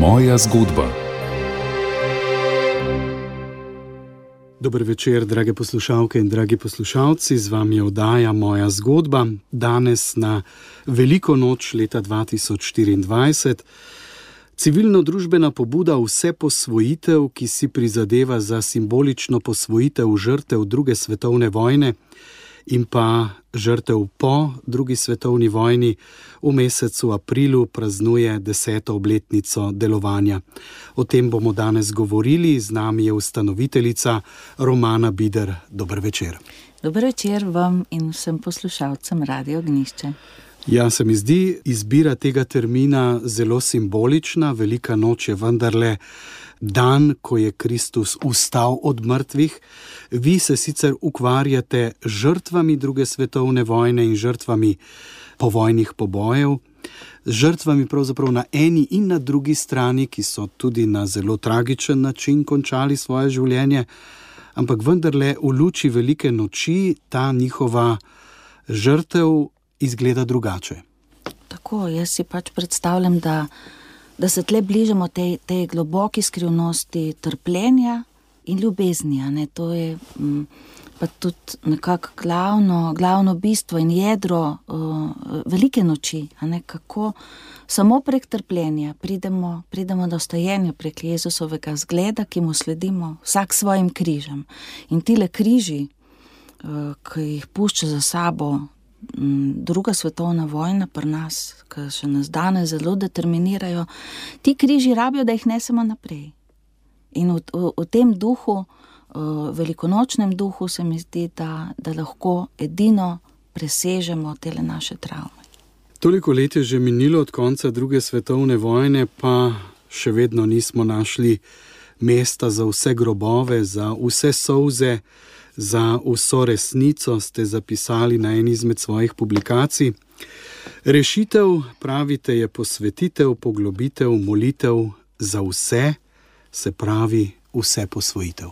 Moja zgodba. Dober večer, drage poslušalke in dragi poslušalci, z vami je oddaja Moja zgodba. Danes na veliko noč leta 2024. Civilno-družbena pobuda Vse posvojitev, ki si prizadeva za simbolično posvojitev žrtev druge svetovne vojne in pa žrtev po drugi svetovni vojni, v mesecu aprilu praznuje 10. obletnico delovanja. O tem bomo danes govorili, z nami je ustanoviteljica Romana Bider. Dober večer. Dober večer vam in vsem poslušalcem Radio Ognjišče. Ja, se mi zdi izbira tega termina zelo simbolična. Velika noč je vendarle dan, ko je Kristus vstal od mrtvih. Vi se sicer ukvarjate žrtvami druge svetovne vojne in žrtvami povojnih pobojev, žrtvami pravzaprav na eni in na drugi strani, ki so tudi na zelo tragičen način končali svoje življenje, ampak vendarle v luči velike noči ta njihova žrtev izgleda drugače. Tako, jaz si predstavljam, da se tle bližamo tej globoki skrivnosti trpljenja in ljubezni. To je pa tudi nekako glavno bistvo in jedro velike noči. Kako samo prek trpljenja pridemo do vstajenja, prek Jezusovega zgleda, ki mu sledimo vsak svojim križem. In tile križi, ki jih pušča za sabo druga svetovna vojna pri nas, ki še nas danes zelo determinirajo, ti križi rabijo, da jih nesemo naprej. In v tem duhu, velikonočnem duhu, se mi zdi, da lahko edino presežemo tele naše travme. Toliko let je že minilo od konca druge svetovne vojne, pa še vedno nismo našli mesta za vse grobove, za vse solze, za vso resnico, ste zapisali na eni izmed svojih publikacij. Rešitev, pravite, je posvetitev, poglobitev, molitev za vse, se pravi vse posvojitev.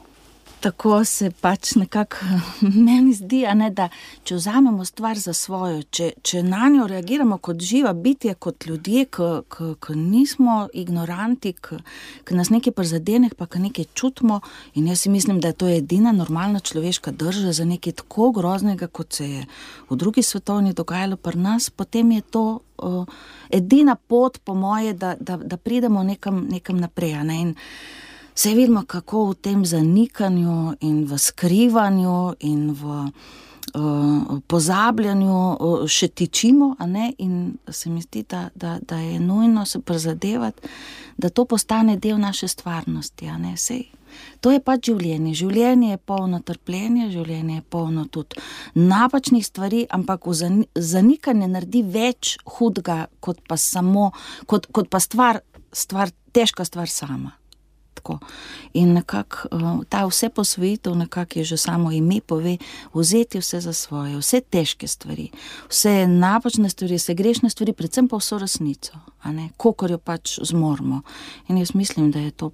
Tako se nekako meni zdi, da če vzamemo stvar za svojo, če na njo reagiramo kot živa bitja, kot ljudje, ki nismo ignoranti, ki nas nekaj prizadene, pa ki nekaj čutimo, in jaz si mislim, da je to edina normalna človeška drža za nekaj tako groznega, kot se je v drugi svetovni dogajalo pri nas, potem je to edina pot, po moje, da pridemo nekam naprej. In vse vidimo, kako v tem zanikanju in v skrivanju in v pozabljanju še tičimo, in se mi zdi, da je nujno se prizadevati, da to postane del naše stvarnosti. Sej, to je življenje. Življenje je polno trpljenja, življenje je polno tudi napačnih stvari, ampak v zanikanje naredi več hudega, kot pa stvar, težka stvar sama. Tako. In nekako ta vse posvojitev, nekako je že samo ime pove, vzeti vse za svoje, vse težke stvari, vse napačne stvari, vse grešne stvari, predvsem pa vso resnico, kolikor jo zmoremo. In jaz mislim, da je to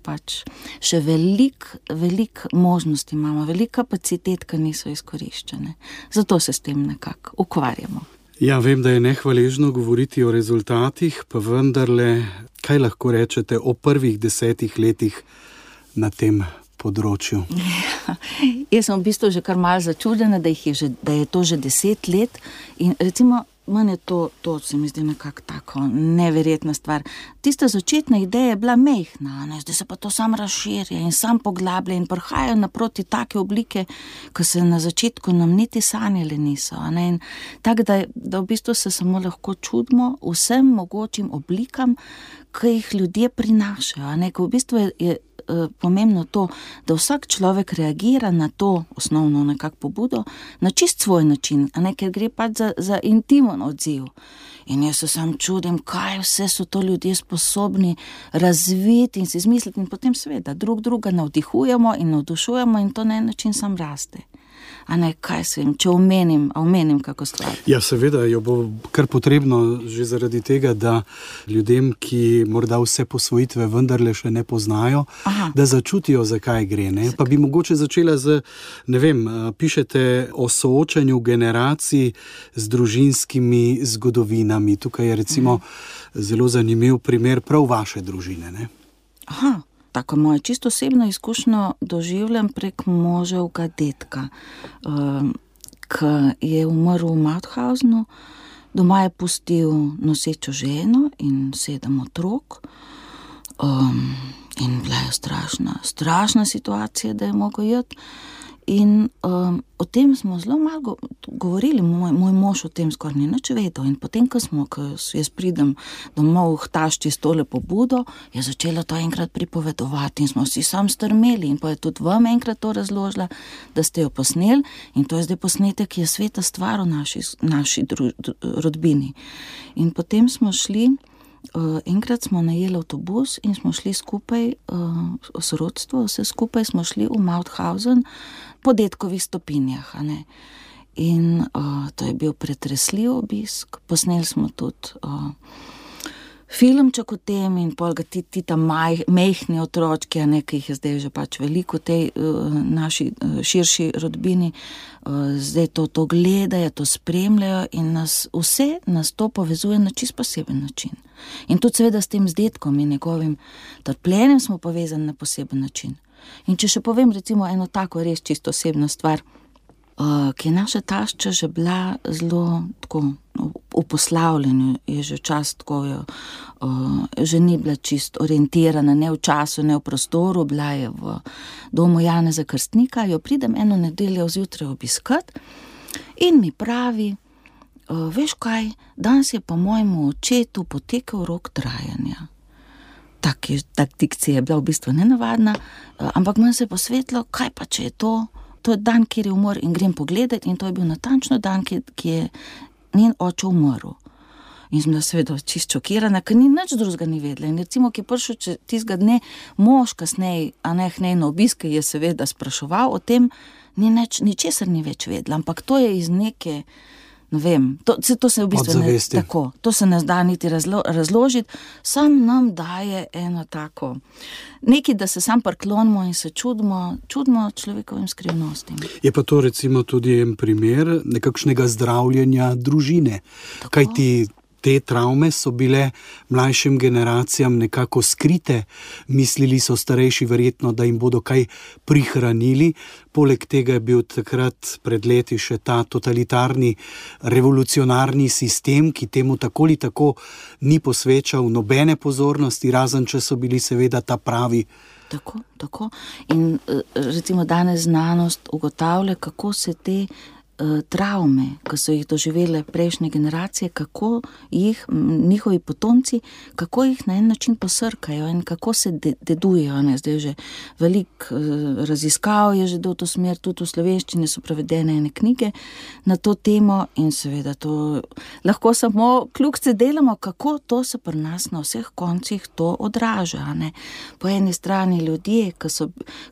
še velik možnosti imamo, velik kapacitet, ki niso izkoriščene. Zato se s tem nekako ukvarjamo. Ja, vem, da je nehvaležno govoriti o rezultatih, pa vendarle, kaj lahko rečete o prvih 10 letih na tem področju? Ja, jaz sem v bistvu že kar malo začudena, da je to že 10 let in recimo meni je to se mi zdi nekako tako neverjetna stvar. Tista začetna ideja je bila mehna, zdaj se pa to sam razširja in sam poglablja in prihajajo naproti take oblike, ki se na začetku nam niti sanjali niso. In tako, da v bistvu se samo lahko čudimo vsem mogočim oblikam, ki jih ljudje prinašajo. Ko v bistvu je pomembno to, da vsak človek reagira na to osnovno nekako pobudo na čist svoj način, ker gre za intimen odziv. In jaz se sam čudim, kaj vse so to ljudje sposobni razviti in si izmisliti in potem seveda druga navdihujemo in navdušujemo in to na en način sam raste. Kaj se vem, če omenim kako stvar. Ja, seveda jo bo kar potrebno že zaradi tega, da ljudem, ki morda vse posvojitve vendarle še ne poznajo, da začutijo, zakaj gre. Pa bi mogoče začela z, pišete o soočanju generacij z družinskimi zgodovinami. Tukaj je recimo zelo zanimiv primer prav vaše družine, ne? Tako moje čisto osebno izkušnjo doživljam prek moževega dedka, ki je umrl v Mauthausenu. Doma je pustil nosečo ženo in 7 otrok. In bila je strašna situacija, da je mogel iti. In o tem smo zelo malo govorili, moj mož o tem skoraj ni nič vedel. In potem, ko jaz pridem domov k tašči s tole pobudo, je začela to enkrat pripovedovati in smo vsi sam strmeli. In pa je tudi vam enkrat to razložila, da ste jo posneli. In to je zdaj posnetek, ki je sveta stvar v naši rodbini. In potem smo šli, enkrat smo najeli avtobus in smo šli skupaj, sorodstvo, vse skupaj smo šli v Mauthausen po dedkovih stopinjah. In to je bil pretresljiv obisk. Posneli smo tudi filmček o tem in pol ga ti tam mehni otročki, ki jih je zdaj že pač veliko v tej naši širši rodbini, zdaj to gledajo, to spremljajo in nas to povezuje na čist poseben način. In tudi seveda s tem z dedkom in njegovim trpljenjem smo povezani na poseben način. In če še povem recimo eno tako res čisto osebno stvar, ki je naša tašča že bila zelo tako v poslavljanju, je že čas tako, že ni bila čist orientirana, ne v času, ne v prostoru, bila je v domu Janeza Krstnika, jo pridem eno nedeljo zjutraj obiskat in mi pravi, veš kaj, danes je pa mojemu očetu potekel rok trajanja. Tak dikcija je bila v bistvu nenavadna, ampak meni se je posvetilo, kaj pa če je to je dan, kjer je umor in grem pogledati in to je bil natančno dan, ki je njen oče umrl. In sem bila seveda čisto šokirana, ker ni nič drugega ni vedela. In recimo, ki je prišel tistega dne mož kasneje, k njej na obisk, je seveda spraševal o tem, ničesar ni več vedela, ampak to je iz neke, ne vem, to se v bistvu ne tako, to se ne zda niti razložiti, sam nam daje eno tako, nekaj, da se sam priklonimo in se čudimo človekovim skrivnostim. Je pa to recimo tudi en primer nekakšnega zdravljenja družine, kajti te travme so bile mlajšim generacijam nekako skrite, mislili so starejši verjetno, da jim bodo kaj prihranili. Poleg tega je bil takrat pred leti še ta totalitarni, revolucionarni sistem, ki temu tako ali tako ni posvečal nobene pozornosti, razen če so bili seveda ta pravi. Tako. In recimo danes znanost ugotavlja, kako se te travme, ki so jih doživele prejšnje generacije, kako jih njihovi potomci, kako jih na en način posrkajo in kako se dedujejo. Zdaj že veliko raziskav je že do to smer, tudi v slovenščini so prevedene ene knjige na to temo in seveda to lahko samo kljukce delamo, kako to se pri nas na vseh koncih to odraža. Po eni strani ljudje,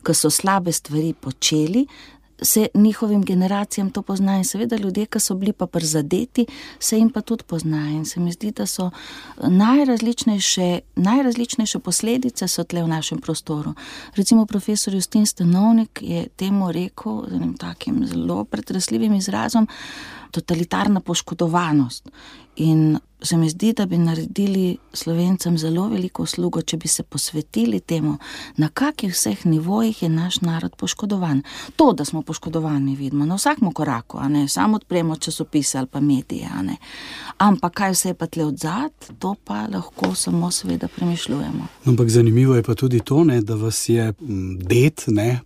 ki so slabe stvari počeli, se njihovim generacijam to pozna in seveda ljudje, ki so bili pa prizadeti, se jim pa tudi pozna in se mi zdi, da so najrazličnejše posledice so tle v našem prostoru. Recimo profesor Justin Stanovnik je temu rekel z enim takim zelo pretresljivim izrazom totalitarna poškodovanost in se mi zdi, da bi naredili Slovencem zelo veliko uslugo, če bi se posvetili temu, na kakih vseh nivojih je naš narod poškodovan. To, da smo poškodovani, vidimo na vsakem koraku, samo odpremo časopise ali pa medije, ampak kaj vse je pa tle odzad, to pa lahko samo seveda premišljujemo. Ampak zanimivo je pa tudi to, da vas je ded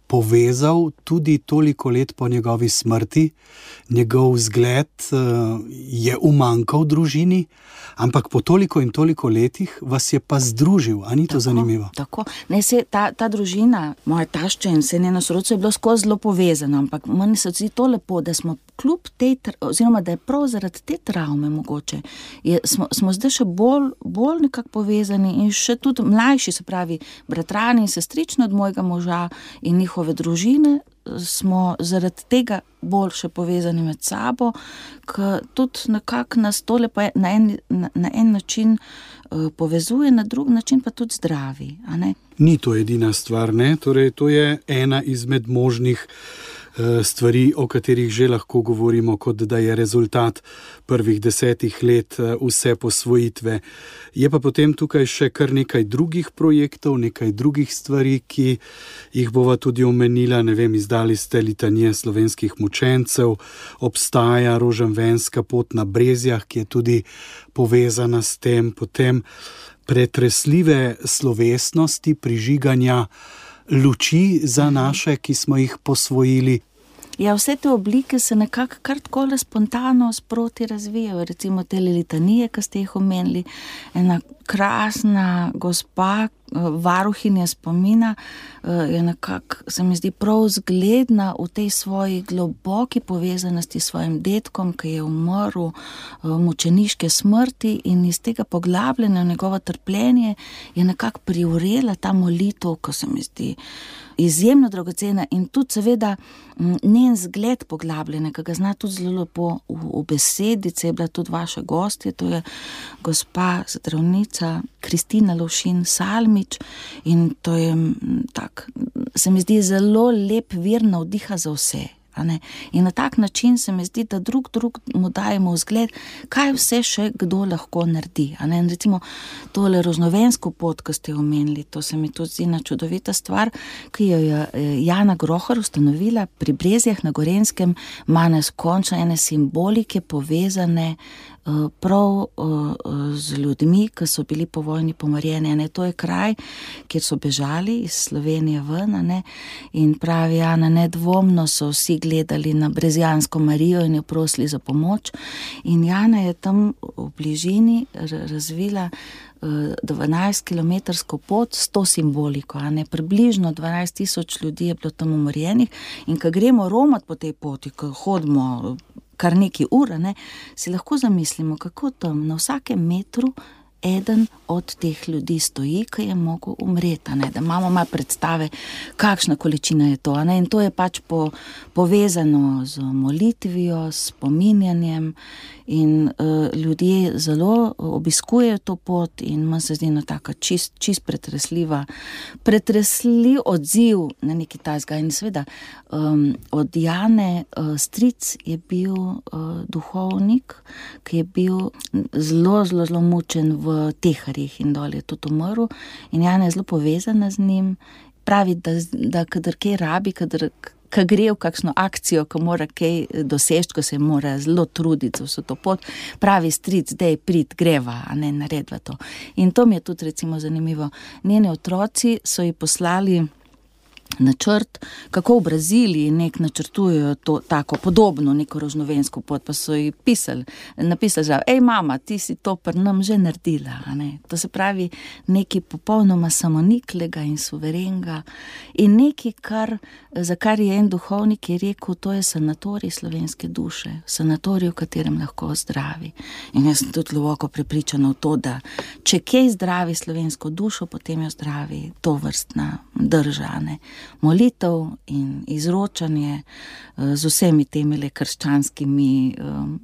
povezal tudi toliko let po njegovi smrti, njegov vzgled je umanjkal družini, ampak po toliko in toliko letih vas je pa združil, a ni to zanimivo? Tako, ta družina, moja tašča in vse njeno sorodstvo je bilo skozi zelo povezano, ampak meni se zdi to lepo, da smo kljub tej, oziroma da je prav zaradi te travme mogoče, smo zdaj še bolj nekako povezani in še tudi mlajši, se pravi bratrani in sestrični od mojega moža in njihove družine, smo zaradi tega bolj še povezani med sabo, ker tudi nekako nas tole pa na en način povezuje, na drug način pa tudi zdravi. Ni to edina stvar, Torej, to je ena izmed možnih stvari, o katerih že lahko govorimo, kot da je rezultat prvih 10 let vse posvojitve. Je pa potem tukaj še kar nekaj drugih projektov, nekaj drugih stvari, ki jih bova tudi omenila. Ne vem, izdali ste litanije slovenskih mučencev, obstaja rožanvenska pot na Brezjah, ki je tudi povezana s tem, potem pretresljive slovesnosti prižiganja luči za naše, ki smo jih posvojili. Ja, vse te oblike se nekako kar takole spontano sproti razvijajo. Recimo te litanije, ki ste jih omenili, ena krasna gospa, varuhinja spomina, je nekako, se mi zdi, prav zgledna v tej svoji globoki povezanosti s svojim dedkom, ki je umrl mučeniške smrti, in iz tega poglabljanja v njegovo trpljenje je nekako privrela ta molitev, ko se mi zdi izjemno dragocena, in tudi seveda njen zgled poglabljanja, ki ga zna tudi zelo lepo v besedice, je bila tudi vaša gostja, to je gospa zdravnica Kristina Lovšin Salmič, in to je tak, se mi zdi, zelo lep vir navdiha za vse. In na tak način se mi zdi, da drug mu dajemo vzgled, kaj vse še kdo lahko naredi. In recimo tole rožnovensko pot, ki ste omenili, to se mi tudi zdi ena čudovita stvar, ki jo je Jana Grohar ustanovila pri Brezjah na Gorenjskem, ima neskončno ene simbolike povezane prav z ljudmi, ki so bili po vojni pomorjeni. To je kraj, kjer so bežali iz Slovenije ven, in pravi Jana, nedvomno so vsi gledali na Brezjansko Marijo in jo prosili za pomoč. In Jana je tam v bližini razvila 12-kilometrsko pot s to simboliko. Približno 12,000 ljudi je bilo tam umorjenih, in ko gremo romat po tej poti, ko hodimo kar nekaj ur, si lahko zamislimo, kako tam na vsakem metru eden od teh ljudi stoji, ki je mogel umreti, da imamo malo predstave, kakšna količina je to. In to je pač povezano z molitvijo, s spominjanjem, in ljudje zelo obiskujejo to pot, in manj se zdi taka čist pretresljiv odziv na neki tasga. In seveda od Jane stric je bil duhovnik, ki je bil zelo mučen v Teharjih in dol je tudi umrl, in Jana je zelo povezana z njim. Pravi, da kadar kaj rabi, kadar gre v kakšno akcijo, ko mora kaj doseči, ko se mora zelo truditi za vso to pot, pravi stric, dej prid, greva, naredva to. In to mi je tudi recimo zanimivo. Njeni otroci so ji poslali načrt, kako v Braziliji načrtujejo to tako podobno neko rožnovensko pot, pa so ji napisali, že, ej mama, ti si to pri nam že naredila. To se pravi nekaj popolnoma samoniklega in suverenga, in nekaj, za kar je en duhovnik je rekel, to je sanatorij slovenske duše, sanatorij, v katerem lahko zdravi. In jaz sem tudi globoko prepričana v to, da če kaj zdravi slovensko dušo, potem jo zdravi to vrstna drža, molitev in izročanje z vsemi temi krščanskimi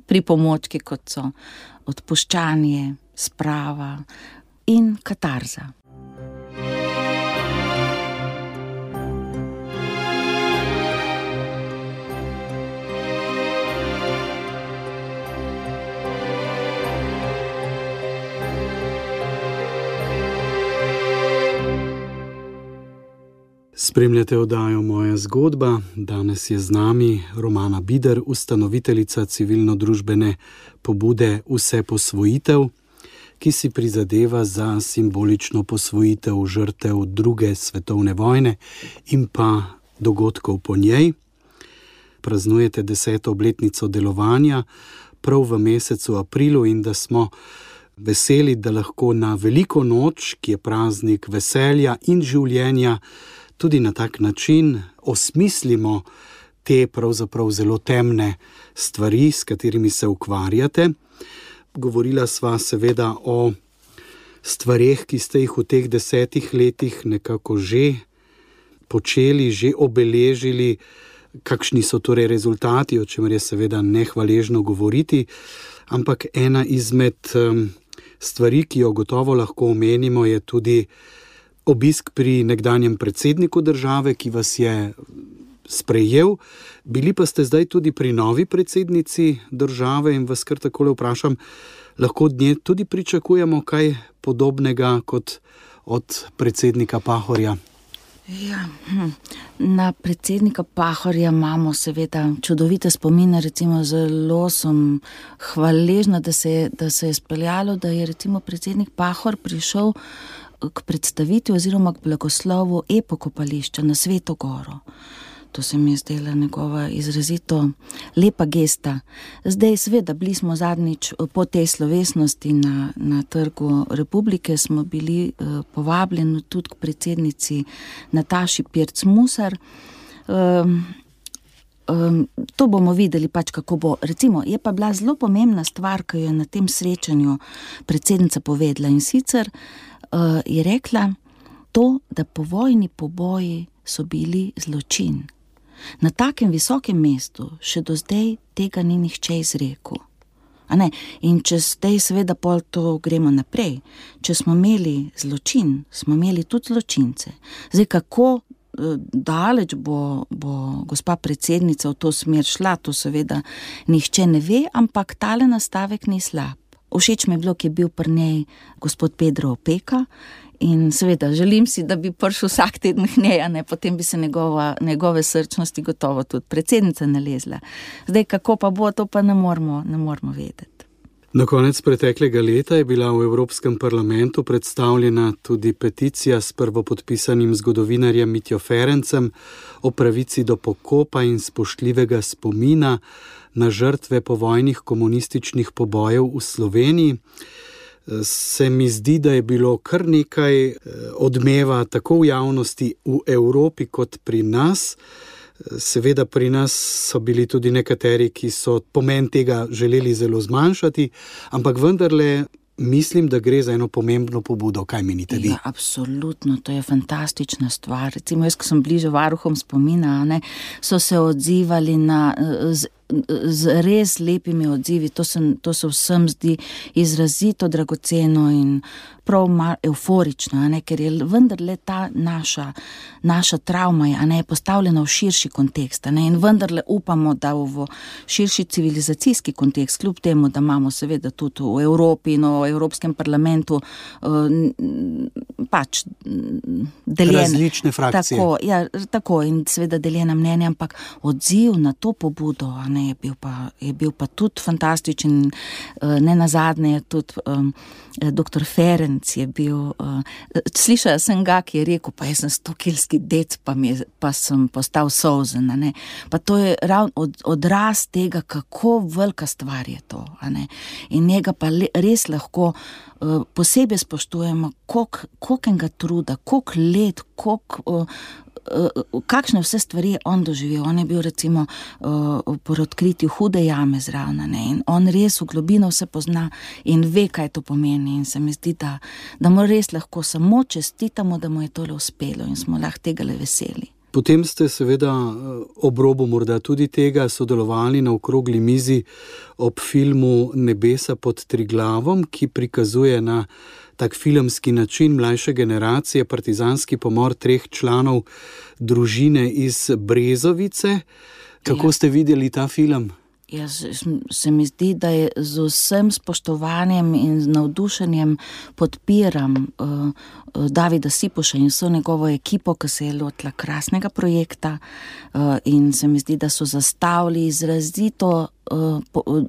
pripomočki, kot so odpuščanje, sprava in katarza. Spremljate oddajo Moja zgodba. Danes je z nami Romana Bider, ustanoviteljica civilno-družbene pobude Vse posvojitev, ki si prizadeva za simbolično posvojitev žrtev druge svetovne vojne in pa dogodkov po njej. Praznujete 10. obletnico delovanja prav v mesecu aprilu, in da smo veseli, da lahko na veliko noč, ki je praznik veselja in življenja, tudi na tak način osmislimo te pravzaprav zelo temne stvari, s katerimi se ukvarjate. Govorila sva seveda o stvareh, ki ste jih v teh 10 letih nekako že počeli, že obeležili, kakšni so torej rezultati, o čemer je seveda nehvaležno govoriti, ampak ena izmed stvari, ki jo gotovo lahko omenimo, je tudi obisk pri nekdanjem predsedniku države, ki vas je sprejel. Bili pa ste zdaj tudi pri novi predsednici države in vas kar takole vprašam, lahko od nje tudi pričakujemo kaj podobnega kot od predsednika Pahorja? Ja, na predsednika Pahorja imamo seveda čudovite spomine, recimo zelo sem hvaležna, da se je speljalo, da je recimo predsednik Pahor prišel k predstavitvi oziroma k blagoslovu epokopališča na Sveto Goro. To se mi je zdela njegova izrazito lepa gesta. Zdaj seveda bili smo zadnjič po tej slovesnosti na Trgu Republike, smo bili povabljeni tudi k predsednici Nataši Pirc-Musar. To bomo videli pač, kako bo. Recimo, je pa bila zelo pomembna stvar, ki jo je na tem srečanju predsednica povedala, in sicer je rekla to, da povojni poboji so bili zločin. Na takem visokem mestu še do zdaj tega ni nihče izrekel. In če zdaj seveda pol to gremo naprej, če smo imeli zločin, smo imeli tudi zločince. Zdaj, kako daleč bo gospa predsednica v to smer šla, to seveda nihče ne ve, ampak tale nastavek ni slab. Všeč mi je bilo, ki je bil pri njej gospod Pedro Opeka, in seveda želim si, da bi prišel vsak teden k njej, potem bi se njegove srčnosti gotovo tudi predsednica nalezla. Zdaj, kako pa bo, to pa ne moramo vedeti. Na konec preteklega leta je bila v Evropskem parlamentu predstavljena tudi peticija s prvopodpisanim zgodovinarjem Mitjo Ferencem o pravici do pokopa in spoštljivega spomina na žrtve povojnih komunističnih pobojev v Sloveniji. Se mi zdi, da je bilo kar nekaj odmeva tako v javnosti v Evropi kot pri nas. Seveda pri nas so bili tudi nekateri, ki so pomen tega želeli zelo zmanjšati, ampak vendarle mislim, da gre za eno pomembno pobudo. Kaj menite vi? Ja, absolutno, to je fantastična stvar. Recimo jaz, ko sem bliže varuhom spomina, so se odzivali z res lepimi odzivi. To se vsem zdi izrazito dragoceno in prav euforično, ker je vendarle ta naša travma je postavljena v širši kontekst, in vendarle upamo, da v širši civilizacijski kontekst, kljub temu, da imamo seveda tudi v Evropi in v Evropskem parlamentu pač deljene različne frakcije. Tako in seveda deljena mnenja, ampak odziv na to pobudo je bil pa tudi fantastičen. Ne nazadnje je tudi doktor Ferenc je bil, slišala sem ga, ki je rekel, pa jaz sem 100-kilski dec, pa sem postal solzen, pa to je ravno odraz tega, kako velika stvar je to, in njega pa res lahko posebej spoštujemo, kolikega truda, koliko let, kakšne vse stvari je on doživel. On je bil recimo po odkritju Hude jame zraven, in on res v globino vse pozna in ve, kaj to pomeni, in se mi zdi, da mu res lahko samo čestitamo, da mu je tole uspelo in smo lahko tega le veseli. Potem ste seveda ob robu morda tudi tega sodelovali na okrogli mizi ob filmu Nebesa pod Triglavom, ki prikazuje na tak filmski način mlajše generacije partizanski pomor 3 članov družine iz Brezovice. Kako ste videli ta film? Se mi zdi, da je z vsem spoštovanjem in z navdušenjem podpiram Davida Sipoša in vso njegovo ekipo, ki se je lotila krasnega projekta, in se mi zdi, da so zastavili izrazito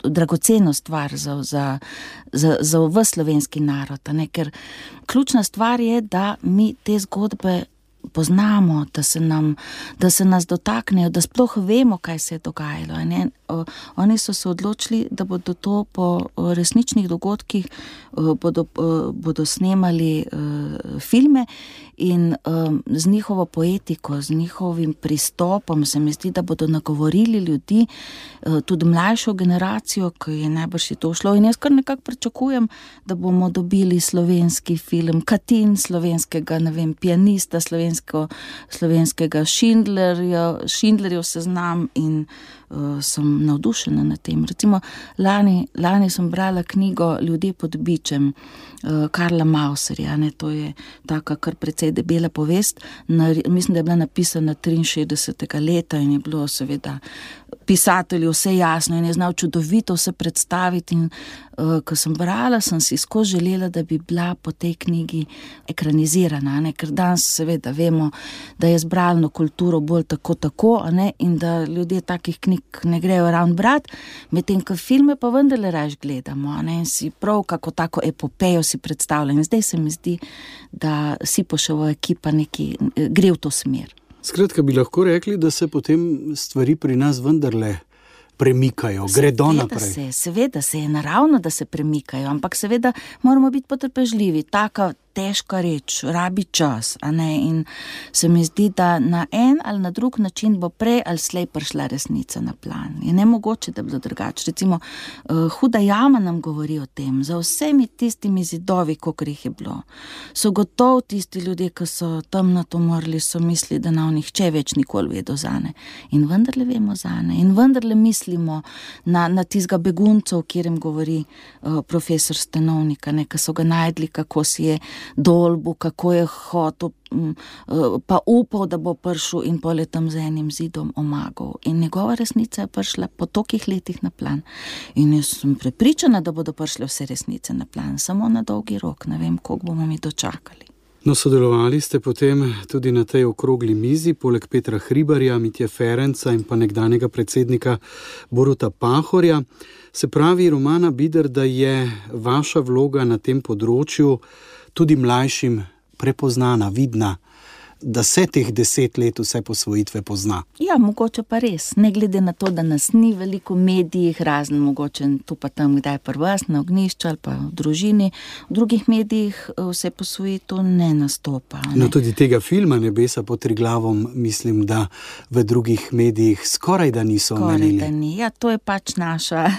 dragoceno stvar za ves slovenski narod, ker ključna stvar je, da mi te zgodbe poznamo, da se nas dotaknejo, da sploh vemo, kaj se je dogajalo. Oni so se odločili, da bodo to po resničnih dogodkih bodo snemali filme, in z njihovo poetiko, z njihovim pristopom se mi zdi, da bodo nagovorili ljudi, tudi mlajšo generacijo, ki je najbrž to šlo, in jaz kar nekako pričakujem, da bomo dobili slovenski film, Katin slovenskega, pianista slovenskega Schindlerjev seznam, in sem navdušena nad tem. Recimo, lani sem brala knjigo Ljudje pod bičem Karla Mauserja, to je taka kar precej je debela povest, mislim, da je bila napisana 63. leta in je bilo seveda pisatelju vse jasno in je znal čudovito vse predstaviti in ko sem brala, sem si skozi želela, da bi bila po tej knjigi ekranizirana, ne? Ker danes seveda vemo, da je z bralno kulturo bolj tako, ne? In da ljudje takih knjig ne grejo ravno brati, medtem ko filme pa vendarle raje gledamo, ne? In si prav kako tako epopejo si predstavljam. In zdaj se mi zdi, da Sipoševa ekipa gre v to smer. Skratka, bi lahko rekli, da se potem stvari pri nas vendarle premikajo, gredo naprej. Seveda se je naravno, da se premikajo, ampak seveda moramo biti potrpežljivi. Taka težka reč, rabi čas, a ne? In se mi zdi, da na en ali na drug način bo prej ali slej prišla resnica na plan. Je nemogoče, da bi bilo drugače. Recimo, Huda jama nam govori o tem, za vsemi tistimi zidovi, kolikor jih je bilo. So gotovo tisti ljudje, ki so tam na to morali, so mislili, da nam nihče več nikoli vedel zane. In vendarle vemo zane. In vendarle mislimo na tistega beguncev, kjer jim govori profesor Stanovnika, ne, ki so ga najdli, kako si je dolbu, kako je hotel, pa upal, da bo prišel in pol je tam z enim zidom omagal. In njegova resnica je prišla po tolikih letih na plan. In jaz sem prepričana, da bodo prišle vse resnice na plan, samo na dolgi rok, ne vem, koliko bomo mi dočakali. No, sodelovali ste potem tudi na tej okrogli mizi, poleg Petra Hribarja, Mitje Ferenca in pa nekdanjega predsednika Boruta Pahorja. Se pravi, Romana Bider, da je vaša vloga na tem področju tudi mlajšim prepoznana, vidna, da se teh 10 let vse posvojitve pozna. Ja, mogoče pa res. Ne glede na to, da nas ni veliko v medijih, razen mogoče tu pa tam, kdaj pri vas, na ognjišču ali pa v družini. V drugih medijih vse posvojitev ne nastopa. Ne? No, tudi tega filma Nebesa pod Triglavom, mislim, da v drugih medijih skoraj da niso omenili. Skoraj da ni. Ja, to je pač naša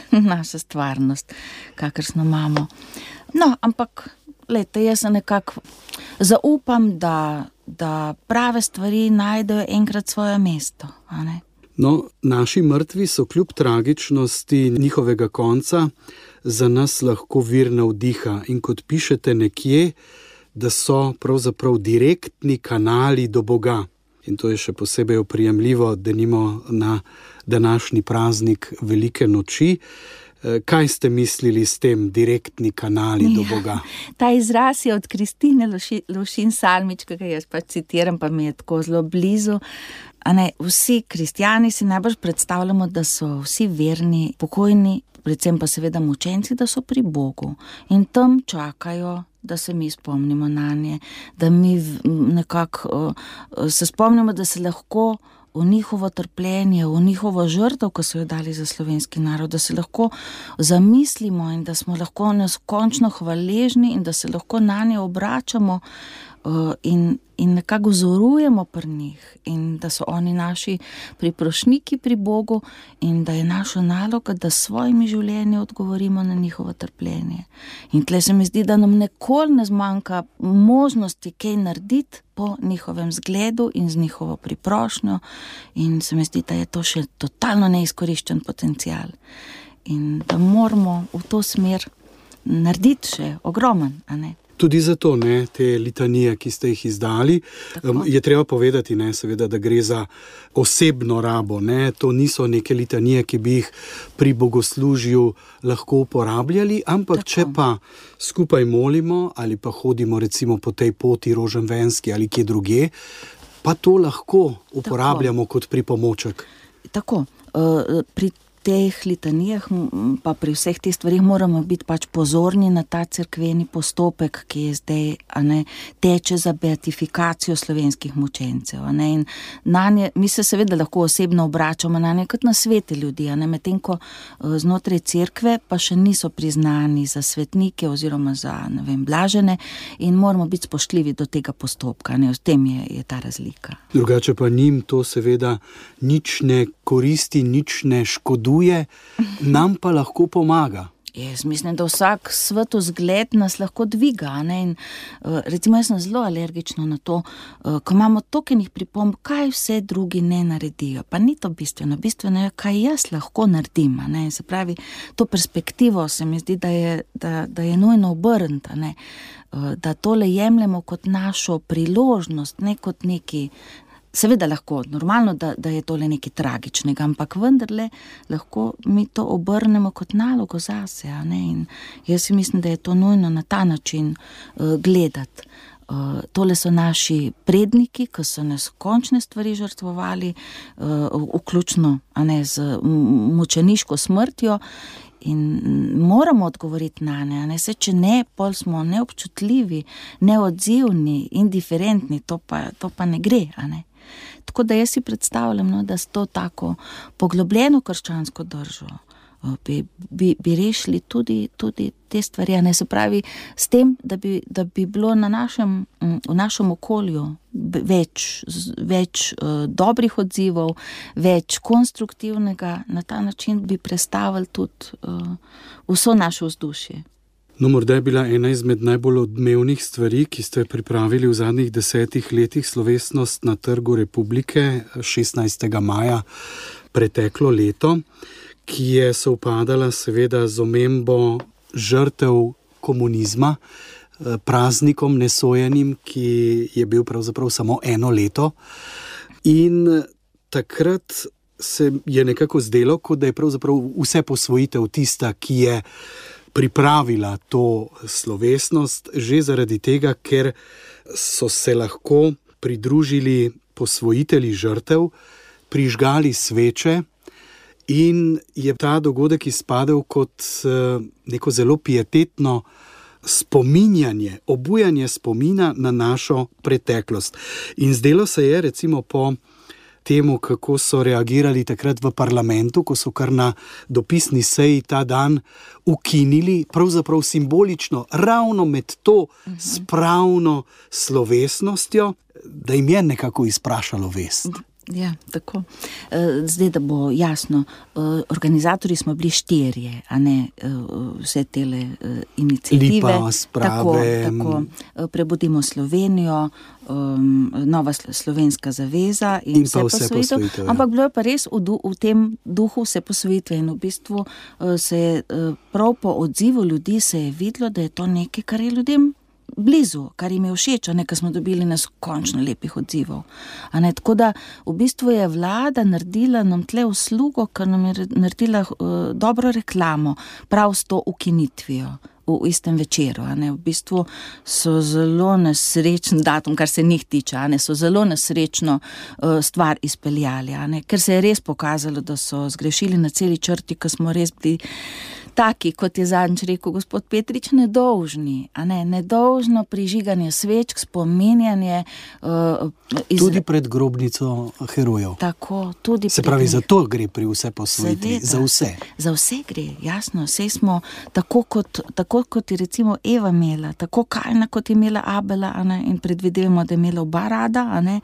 stvarnost, kakršno imamo. No, ampak glejte, jaz se nekako zaupam, da prave stvari najdejo enkrat svoje mesto, a ne? No, naši mrtvi so kljub tragičnosti njihovega konca za nas lahko vir navdiha in kot pišete nekje, da so pravzaprav direktni kanali do Boga. In to je še posebej oprijemljivo, denimo na današnji praznik Velike noči. Kaj ste mislili s tem direktni kanali do Boga? Ta izraz je od Kristine Lovšin Salmič, ki ga jaz pač citiram, pa mi je tako zelo blizu. A ne, vsi kristjani si najbolj predstavljamo, da so vsi verni, pokojni, predvsem pa seveda mučenci, da so pri Bogu. In tam čakajo, da se mi spomnimo nanje, da mi nekako se spomnimo, da se lahko v njihovo trpljenje, v njihovo žrtev, ko so jo dali za slovenski narod, da se lahko zamislimo in da smo lahko neskončno hvaležni in da se lahko nanje obračamo in nekako vzorujemo pri njih in da so oni naši priprošniki pri Bogu in da je naša naloga, da s svojimi življenji odgovorimo na njihovo trpljenje. In tle se mi zdi, da nam nikoli ne zmanjka možnosti kaj narediti po njihovem zgledu in z njihovo priprošnjo in se mi zdi, da je to še totalno neizkoriščen potencial in da moramo v to smer narediti še ogromen, a ne? Tudi zato, ne, te litanije, ki ste jih izdali, je treba povedati, ne, seveda, da gre za osebno rabo, ne, to niso neke litanije, ki bi jih pri bogoslužju lahko uporabljali, ampak če pa skupaj molimo ali pa hodimo recimo po tej poti Roženvenski ali kje drugje, pa to lahko uporabljamo kot pripomoček. Tako, pri teh litanijah, pa pri vseh teh stvarih moramo biti pač pozorni na ta cerkveni postopek, ki je zdaj, a ne, teče za beatifikacijo slovenskih mučencev, a ne, in nanje, mi se seveda lahko osebno obračamo na nje kot na svete ljudi, a ne, medtem ko znotraj cerkve pa še niso priznani za svetnike oziroma za, ne vem, blažene in moramo biti spoštljivi do tega postopka, ne, v tem je ta razlika. Drugače pa njim to seveda nič ne koristi, nič ne škoduje, nam pa lahko pomaga. Jaz mislim, da vsak svetozgled nas lahko dviga, ne, in recimo jaz sem zelo alergična na to, ko imamo toliko pripomb, kaj vse drugi ne naredijo, pa ni to bistveno, bistveno je, kaj jaz lahko naredim, ne, se pravi, to perspektivo se mi zdi, da je nujno obrniti, ne, da tole jemljemo kot našo priložnost, ne kot neki. Seveda lahko, normalno, da je tole nekaj tragičnega, ampak vendarle lahko mi to obrnemo kot nalogo zase, ne? In jaz si mislim, da je to nujno na ta način gledati. Tole so naši predniki, ki so nas končne stvari žrtvovali, vključno, a ne, z mučeniško smrtjo, in moramo odgovoriti na ne, a ne, se če ne, pol smo neobčutljivi, neodzivni, indiferentni, to pa ne gre, a ne. Tako da jaz si predstavljam, no, da s to tako poglobljeno krščansko držo bi rešili tudi te stvari, ne, se pravi s tem, da bi bilo v našem okolju več dobrih odzivov, več konstruktivnega, na ta način bi prestavili tudi vso naše vzdušje. No, morda je bila ena izmed najbolj odmevnih stvari, ki ste pripravili v zadnjih 10 letih, slovesnost na Trgu Republike 16. maja preteklo leto, ki je sovpadala seveda z omembo žrtev komunizma, praznikom nesojenim, ki je bil pravzaprav samo 1 leto. In takrat se je nekako zdelo, kot da je pravzaprav vse posvojitev tista, ki je pripravila to slovesnost, že zaradi tega, ker so se lahko pridružili posvojitelji žrtev, prižgali sveče in je ta dogodek izpadel kot neko zelo pietetno spominjanje, obujanje spomina na našo preteklost. In zdelo se je, recimo po temu, kako so reagirali takrat v parlamentu, ko so kar na dopisni seji ta dan ukinili, pravzaprav simbolično, ravno med to spravno slovesnostjo, da jim je nekako izprašalo vest. Ja, tako. Zdaj, da bo jasno, organizatorji smo bili 4, a ne vse tele iniciative. Lipa, sprave. Tako. Prebudimo Slovenijo, Nova slovenska zaveza in vse posvojitev. Ja. Ampak bilo je pa res v tem duhu vse posvojitve in v bistvu se je prav po odzivu ljudi se je videlo, da je to nekaj, kar je ljudem blizu, kar jim je všeč, a ne, ker smo dobili neskončno lepih odzivov. A ne, tako da v bistvu je vlada naredila nam tle uslugo, ker nam je naredila dobro reklamo, prav s to ukinitvijo v istem večeru, a ne, v bistvu so zelo nesrečen datum, kar se njih tiče, a ne, so zelo nesrečno stvar izpeljali, a ne, ker se je res pokazalo, da so zgrešili na celi črti, ker smo res bili taki, kot je zadnjič rekel gospod Petrič, nedolžni, a ne, nedolžno prižiganje svečk, spominjanje. Tudi pred grobnico herojev. Tako, tudi se pravi, za to gre pri vse posvojitvi, za vse. Za vse gre, jasno, vse smo tako kot je recimo Eva imela, tako Kajna, kot je imela Abela, a ne, in predvidevamo, da je imela oba rada, a ne,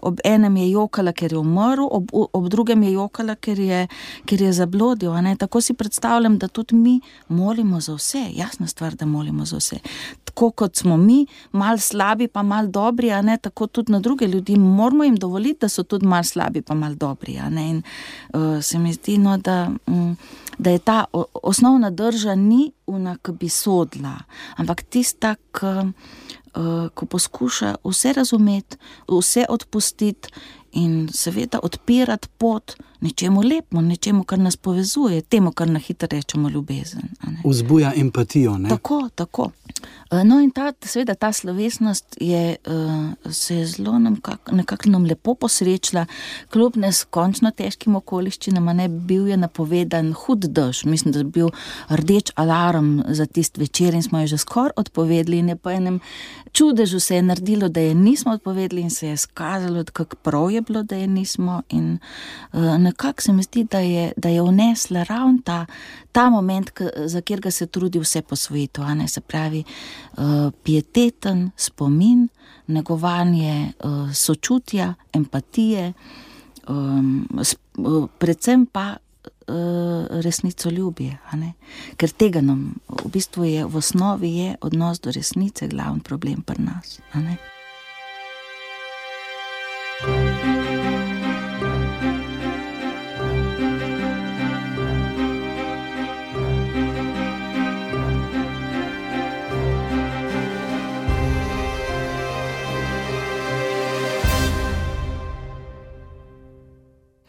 ob enem je jokala, ker je umrl, ob drugem je jokala, ker je zablodil, a ne, tako si predstavljam, da tudi mi molimo za vse, jasna stvar, da molimo za vse. Tako kot smo mi, malo slabi pa malo dobri, a ne, tako tudi na druge ljudi, moramo jim dovoliti, da so tudi malo slabi pa malo dobri, a ne, in se mi zdi, no, da je ta osnovna drža ni ona, ki bi sodila, ampak tista, ko poskuša vse razumeti, vse odpustiti in seveda odpirati pot nečemu lepemu, nečemu, kar nas povezuje, temu, kar na hitro rečemo ljubezen. Vzbuja empatijo, ne? Tako. No in seveda ta slovesnost se je zelo nekako nam lepo posrečila, kljub neskončno težkim okoliščinam, ne, bil je napovedan hud dež, mislim, da je bil rdeč alarm za tist večer in smo jo že skoraj odpovedali in je po enem čudežu se je naredilo, da je nismo odpovedali in se je skazalo, kako prav je bilo, da je nismo in nekako se mi zdi, da je vnesla ravno ta moment, za katerega se trudi vse posvojitev, a ne, se pravi pieteten spomin, negovanje sočutja, empatije, predvsem pa resnicoljubje, a ne? Ker tega nam v bistvu je, v osnovi je odnos do resnice glavni problem pri nas, a ne?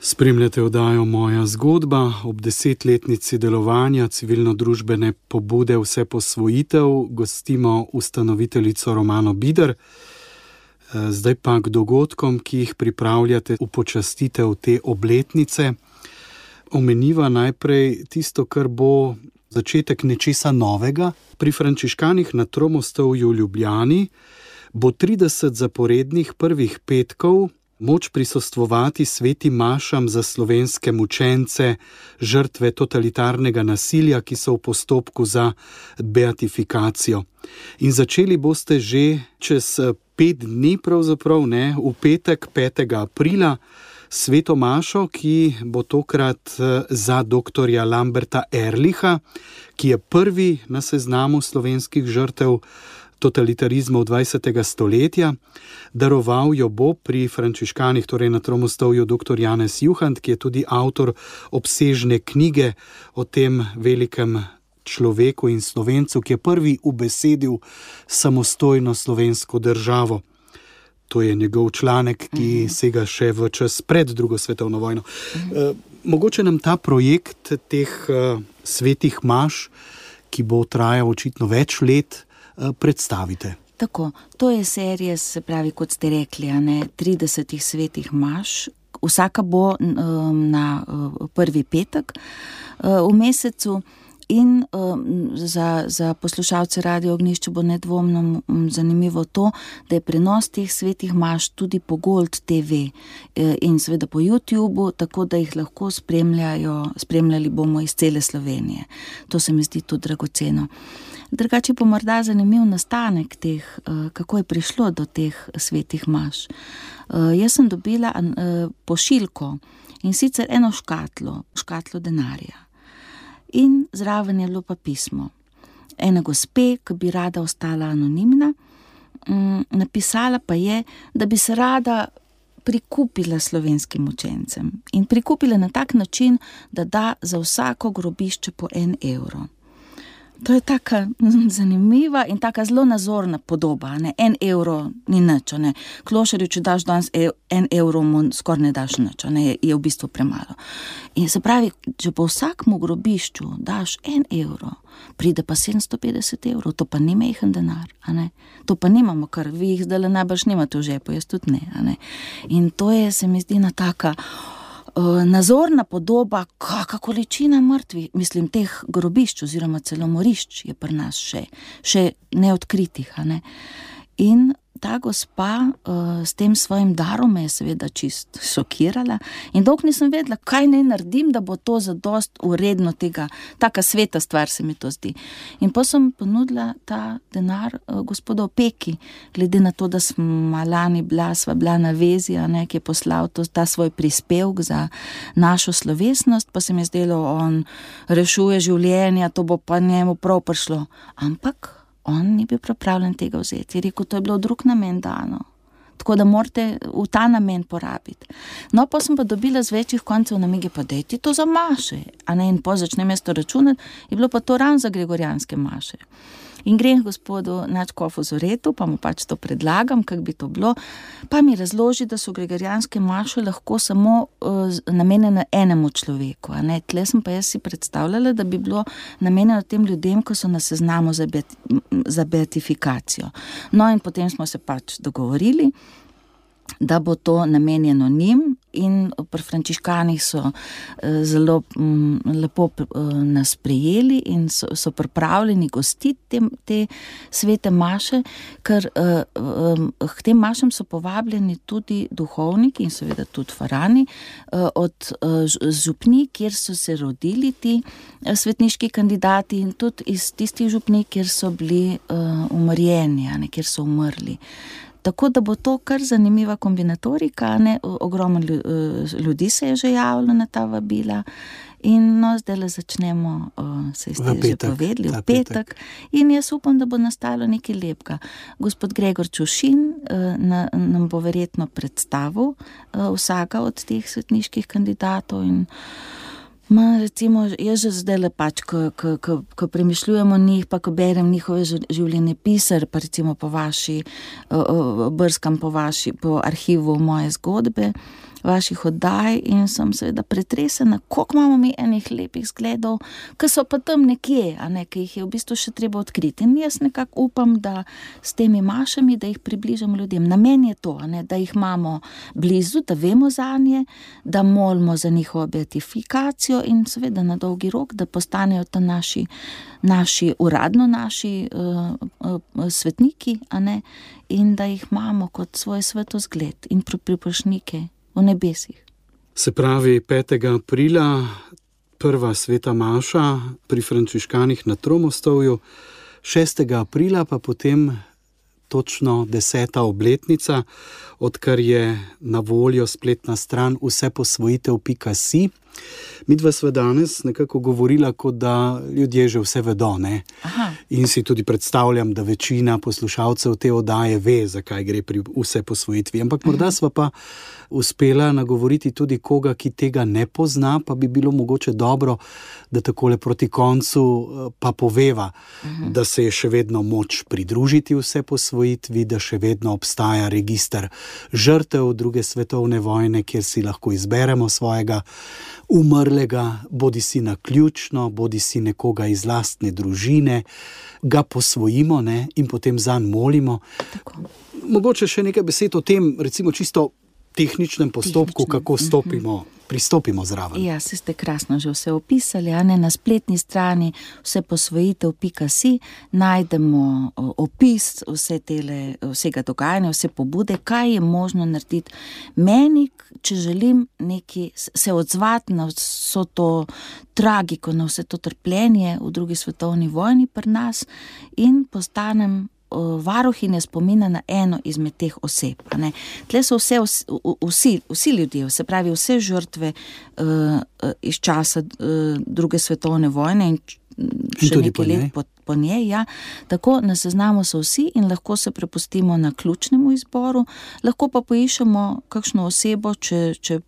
Spremljate oddajo Moja zgodba ob 10-letnici delovanja civilno-družbene pobude Vse posvojitev. Gostimo ustanoviteljico Romano Bider. Zdaj pa k dogodkom, ki jih pripravljate v počastitev te obletnice. Omeniva najprej tisto, kar bo začetek nečesa novega. Pri frančiškanih na Tromostovju v Ljubljani bo 30 zaporednih prvih petkov moč prisostvovati svetim mašam za slovenske mučence, žrtve totalitarnega nasilja, ki so v postopku za beatifikacijo. In začeli boste že čez 5 dni, pravzaprav ne, v petek 5. aprila, sveto mašo, ki bo tokrat za doktorja Lamberta Ehrlicha, ki je prvi na seznamu slovenskih žrtev totalitarizma 20. stoletja. Daroval jo bo pri frančiškanih, torej na Tromostovju, dr. Janez Juhant, ki je tudi avtor obsežne knjige o tem velikem človeku in Slovencu, ki je prvi ubesedil samostojno slovensko državo. To je njegov članek, ki sega še v čas pred drugo svetovno vojno. Mogoče nam ta projekt teh svetih maš, ki bo trajal očitno več let, predstavite. Tako, to je serija, se pravi, kot ste rekli, 30 svetih maš. Vsaka bo na prvi petek v mesecu in za poslušalce Radio Ognjišče bo nedvomno zanimivo to, da je prenos teh svetih maš tudi po Gold TV in seveda po YouTubeu, tako da jih lahko spremljali bomo iz cele Slovenije. To se mi zdi tudi dragoceno. Drugače pa morda zanimiv nastanek teh, kako je prišlo do teh svetih maš. Jaz sem dobila pošiljko in sicer eno škatlo denarja. In zraven je bilo pa pismo. Ena gospe, ki bi rada ostala anonimna, napisala pa je, da bi se rada prikupila slovenskim učencem. In prikupila na tak način, da da za vsako grobišče po 1 evro. To je taka zanimiva in taka zelo nazorna podoba, 1 evro ni nič, Klošarju, če daš danes 1 evro, mu skoraj ne daš nič, je v bistvu premalo. In se pravi, če po vsakmu grobišču daš 1 evro, pride pa 750 evrov, to pa ni majhen denar, To pa nimamo, kar vi jih zdaj najbrž nimate v žepu, jaz tudi ne, In to je, se mi zdi, taka nazorna podoba, kakšna količina mrtvih, mislim, teh grobišč oziroma celo morišč je pri nas še neodkritih, In ta gospa s tem svojim darom me je seveda čist šokirala in dolgo nisem vedela, kaj naj naredim, da bo to zadost vredno tega, taka sveta stvar se mi to zdi. In pa sem ponudila ta denar gospodu Opeki, glede na to, da smo lani sva bila na vezi, ki je poslal ta svoj prispevek za našo slovesnost, pa se mi je zdelo, on rešuje življenja, to bo pa njemu prav prišlo. Ampak on ni bil pripravljen tega vzeti. Je rekel, to je bilo v drug namen dano. Tako da morate v ta namen porabiti. No, pa sem pa dobila z večjih koncev namige, pa daj ti to za maše. In po začnem jaz to računati, je bilo pa to ravno za gregorijanske maše. In grem gospodu nadškofu Zoretu, pa mu pač to predlagam, kako bi to bilo, pa mi razloži, da so gregorijanske maše lahko samo namenjene enemu človeku. Tle sem pa jaz si predstavljala, da bi bilo namenjeno tem ljudem, ko so na seznamu za beatifikacijo. No, in potem smo se pač dogovorili, da bo to namenjeno njim, in pri frančiškanih so zelo lepo nas prijeli in so pripravljeni gostiti te svete maše, ker k tem mašem so povabljeni tudi duhovniki in seveda tudi farani od župnij, kjer so se rodili ti svetniški kandidati, in tudi iz tistih župnij, kjer so bili umrjeni, kjer so umrli. Tako da bo to kar zanimiva kombinatorika, ne? Ogromno ljudi se je že javilo na ta vabila. In no, zdaj le začnemo, se ste že povedali, v petek. In jaz upam, da bo nastalo nekaj lepega. Gospod Gregor Čušin nam bo verjetno predstavil vsaka od teh svetniških kandidatov in recimo, jaz že zdaj le pač, ko premišljujemo njih, pa ko berem njihove življenjepise, pa recimo brskam po arhivu moje zgodbe, vaših oddaj in sem seveda pretresena, koliko imamo mi enih lepih zgledov, ki so pa tam nekje, a ne, ki jih je v bistvu še treba odkriti. In jaz nekako upam, da s temi mašami, da jih približamo ljudem. Namen je to, a ne, da jih imamo blizu, da vemo zanje, da molimo za njihovo beatifikacijo in seveda na dolgi rok, da postanejo ta uradno naši svetniki, a ne, in da jih imamo kot svoj svetozgled in priprošnike v nebesih. Se pravi, 5. aprila prva sveta maša pri frančiškanih na Tromostovju, 6. aprila pa potem točno 10. obletnica, odkar je na voljo spletna stran vseposvojitev.si. Midva sva danes nekako govorila, kot da ljudje že vse vedo, ne? Aha. In si tudi predstavljam, da večina poslušalcev te oddaje ve, zakaj gre pri vseposvojitvi. Ampak morda sva pa uspela nagovoriti tudi koga, ki tega ne pozna, pa bi bilo mogoče dobro, da takole proti koncu pa poveva, da se je še vedno moč pridružiti vseposvojitvi, da še vedno obstaja register žrtev druge svetovne vojne, kjer si lahko izberemo svojega umrlega, bodi si naključno, bodi si nekoga iz lastne družine, ga posvojimo, ne, in potem zanj molimo. Tako. Mogoče še nekaj besed o tem, recimo čisto tehničnem postopku, kako pristopimo zraven. Ja, se ste krasno že vse opisali, a ne, na spletni strani vseposvojitev.si najdemo opis vsega dogajanja, vse pobude, kaj je možno narediti meni, če želim se odzvati na vso to tragiko, na vse to trpljenje v drugi svetovni vojni pri nas in postanem varuhinja spomina na eno izmed teh oseb. Tle so vsi ljudje, se pravi vse žrtve iz časa druge svetovne vojne in še nekaj let po njej, ja. Tako na seznamu so vsi in lahko se prepustimo na ključnemu izboru, lahko pa poiščemo kakšno osebo, če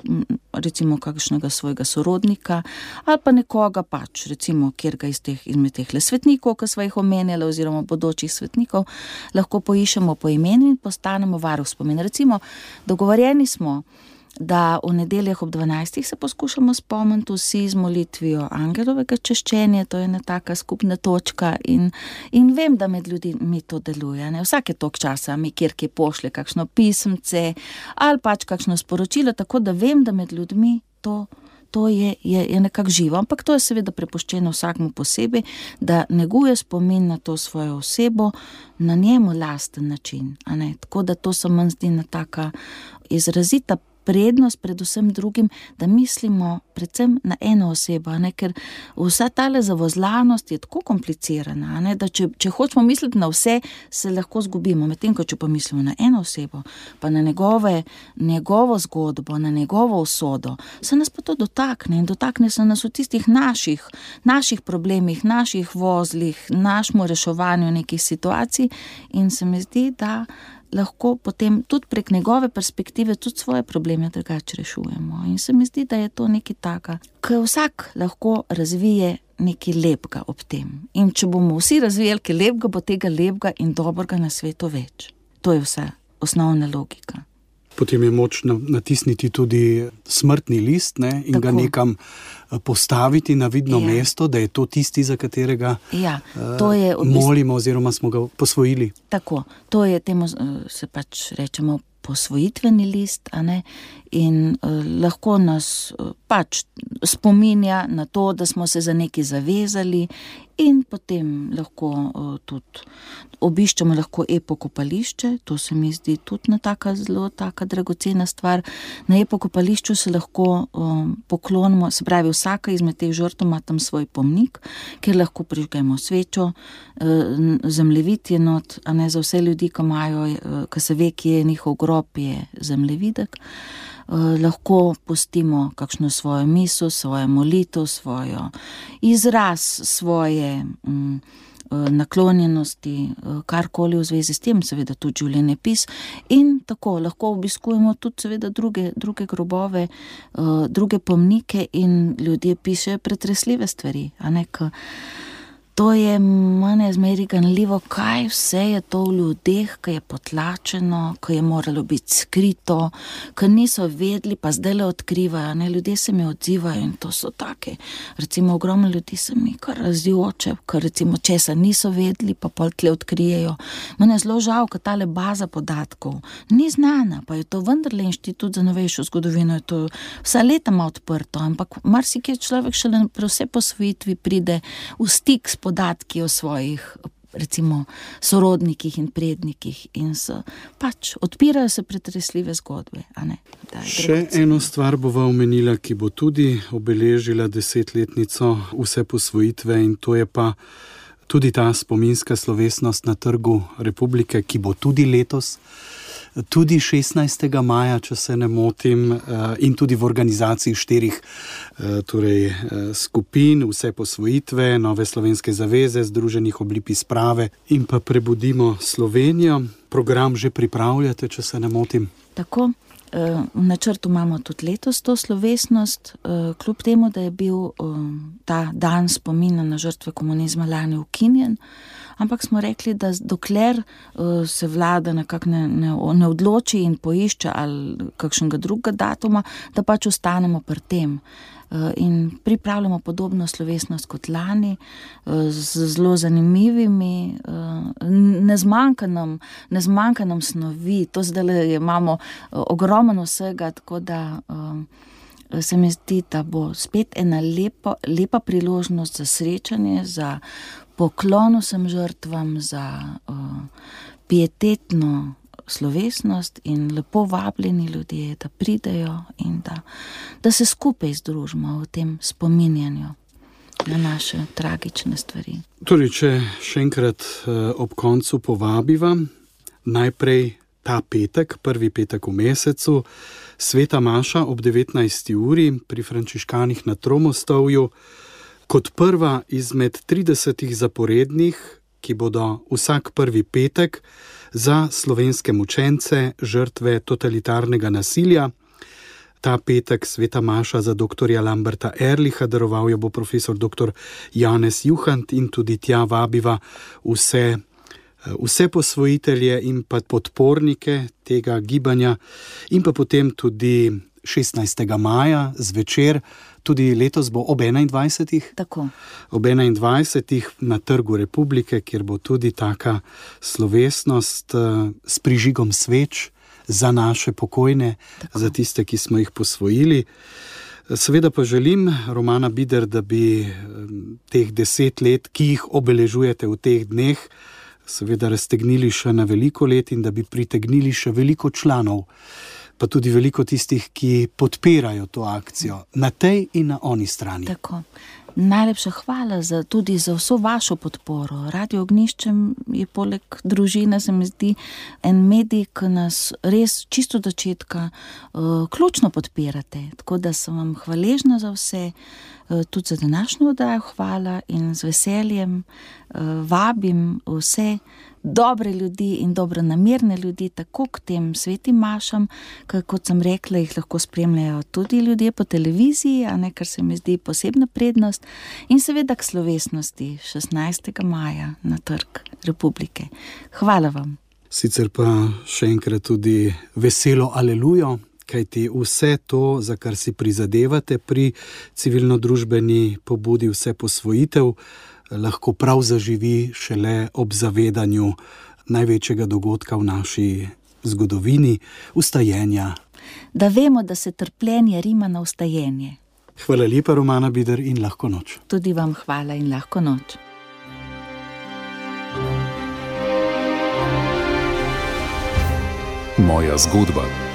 recimo kakšnega svojega sorodnika ali pa nekoga pač, recimo kjerga izmed teh svetnikov, ki sva jih omenjala, oziroma bodočih svetnikov, lahko poiščemo po imenu in postanemo varuh spomina. Recimo, dogovorjeni smo, da v nedeljah ob 12. se poskušamo spomniti vsi z molitvijo angelovega češčenja, to je ena taka skupna točka in vem, da med ljudmi to deluje. Ne? Vsake toliko časa mi kjerkje pošlje kakšno pismce ali pač kakšno sporočilo, tako da vem, da med ljudmi to je nekako živo, ampak to je seveda prepuščeno vsakmu posebej, da neguje spomin na to svojo osebo na njemu lasten način. A ne? Tako da to se meni zdi ena taka izrazita prednost predvsem drugim, da mislimo predvsem na eno osebo, ne? Ker vsa tale zavozlanost je tako komplicirana, ne? Da če hočemo misliti na vse, se lahko zgubimo, medtem ko če pa mislimo na eno osebo, pa na njegovo zgodbo, na njegovo usodo, se nas pa to dotakne in dotakne se nas v tistih naših problemih, naših vozlih, našemu reševanju nekih situacij in se mi zdi, da lahko potem tudi prek njegove perspektive tudi svoje probleme drugače rešujemo. In se mi zdi, da je to nekaj taka, ko vsak lahko razvije nekaj lepega ob tem. In če bomo vsi razvijali kaj lepega, bo tega lepega in dobrega na svetu več. To je vsa osnovna logika. Potem je moč natisniti tudi smrtni list, ne, in tako ga nekam postaviti na vidno mesto, da je to tisti, za katerega molimo oziroma smo ga posvojili. Tako, to je temu se pač rečemo posvojitveni list, a ne, in lahko nas pač spominja na to, da smo se za nekaj zavezali, in potem lahko tudi obiščemo lahko epokopališče, to se mi zdi tudi zelo taka dragocena stvar. Na epokopališču se lahko poklonimo, se pravi, vsaka izmed teh žrtev ima tam svoj pomnik, kjer lahko prižgemo svečo, zemljevid je not, a ne, za vse ljudi, ki se ve, kje je njihov grob, je zemljevidek. Lahko pustimo kakšno svojo misel, svojo molitev, svojo izraz, svoje naklonjenosti, karkoli v zvezi s tem, seveda tudi življenjepis, in tako lahko obiskujemo tudi seveda druge grobove, druge pomnike, in ljudje pišejo pretresljive stvari, a ne, to je mene zmeri ganljivo, kaj vse je to v ljudeh, ki je potlačeno, ki je moralo biti skrito, ki niso vedeli, pa zdajle odkrivajo, ne, ljudje se mi odzivajo in to so take, recimo ogromno ljudi se mi kar razjoče, ker recimo česa niso vedeli, pa pol tle odkrijejo. Mene je zelo žal, ker tale baza podatkov ni znana, pa je to vendarle Inštitut za novejšo zgodovino, je to vsa leta ima odprto, ampak marsikje človek šele pri vse posvojitvi pride v stik s podatki o svojih, recimo, sorodnikih in prednikih, in pač odpirajo se pretresljive zgodbe, a ne. Še eno stvar bova omenila, ki bo tudi obeležila 10-letnico vse posvojitve, in to je pa tudi ta spominska slovesnost na Trgu Republike, ki bo tudi letos, tudi 16. maja, če se ne motim, in tudi v organizaciji 4 skupin, vse posvojitve, Nove slovenske zaveze, Združenih oblip sprave in pa Prebudimo Slovenijo. Program že pripravljate, če se ne motim? Tako, v načrtu imamo tudi letos to slovesnost, kljub temu, da je bil ta dan spomina na žrtve komunizma lani ukinjen, ampak smo rekli, da dokler se vlada nekako ne odloči in poišče ali kakšnega drugega datuma, da pač ostanemo pri tem. In pripravljamo podobno slovesnost kot lani, z zelo zanimivimi, ne zmanjka nam snovi, to zdaj imamo ogromno vsega, tako da se mi zdi, da bo spet ena lepa priložnost za srečanje, za poklon vsem žrtvam, za pietetno slovesnost, in lepo vabljeni ljudje, da pridejo in da se skupaj združimo v tem spominjanju na naše tragične stvari. Torej, če še enkrat ob koncu povabiva, najprej ta petek, prvi petek v mesecu, sveta maša ob 19. uri pri frančiškanih na Tromostovju, kot prva izmed 30 zaporednih, ki bodo vsak prvi petek za slovenske mučence, žrtve totalitarnega nasilja. Ta petek sveta maša za doktorja Lamberta Erlicha, daroval jo bo profesor dr. Janez Juhant, in tudi tja vabiva vse posvojitelje in pa podpornike tega gibanja, in pa potem tudi 16. maja zvečer, tudi letos bo ob 21. Tako. Ob 21. na Trgu Republike, kjer bo tudi taka slovesnost s prižigom sveč za naše pokojne, tako, za tiste, ki smo jih posvojili. Seveda pa želim, Romana Bider, da bi teh 10 let, ki jih obeležujete v teh dneh, seveda raztegnili še na veliko let in da bi pritegnili še veliko članov, pa tudi veliko tistih, ki podpirajo to akcijo na tej in na oni strani. Tako. Najlepša hvala tudi za vso vašo podporo. Radio Ognjišče je poleg družine, se mi zdi, en medij, ki nas res čisto od začetka ključno podpirate. Tako da sem vam hvaležna za vse, tudi za današnjo oddajo hvala, in z veseljem vabim vse dobre ljudi in dobronamerne ljudi, tako k tem svetim mašam, kot sem rekla, jih lahko spremljajo tudi ljudje po televiziji, a ne, kar se mi zdi posebna prednost, in seveda k slovesnosti 16. maja na Trg Republike. Hvala vam. Sicer pa še enkrat tudi veselo alelujo, kajti vse to, za kar si prizadevate pri civilno-družbeni pobudi vse posvojitev, lahko prav zaživi šele ob zavedanju največjega dogodka v naši zgodovini, vstajenja da vemo, da se trpljenje rima na vstajenje. Hvala lepa, Romana Bider, in lahko noč. Tudi vam hvala in lahko noč. Moja zgodba.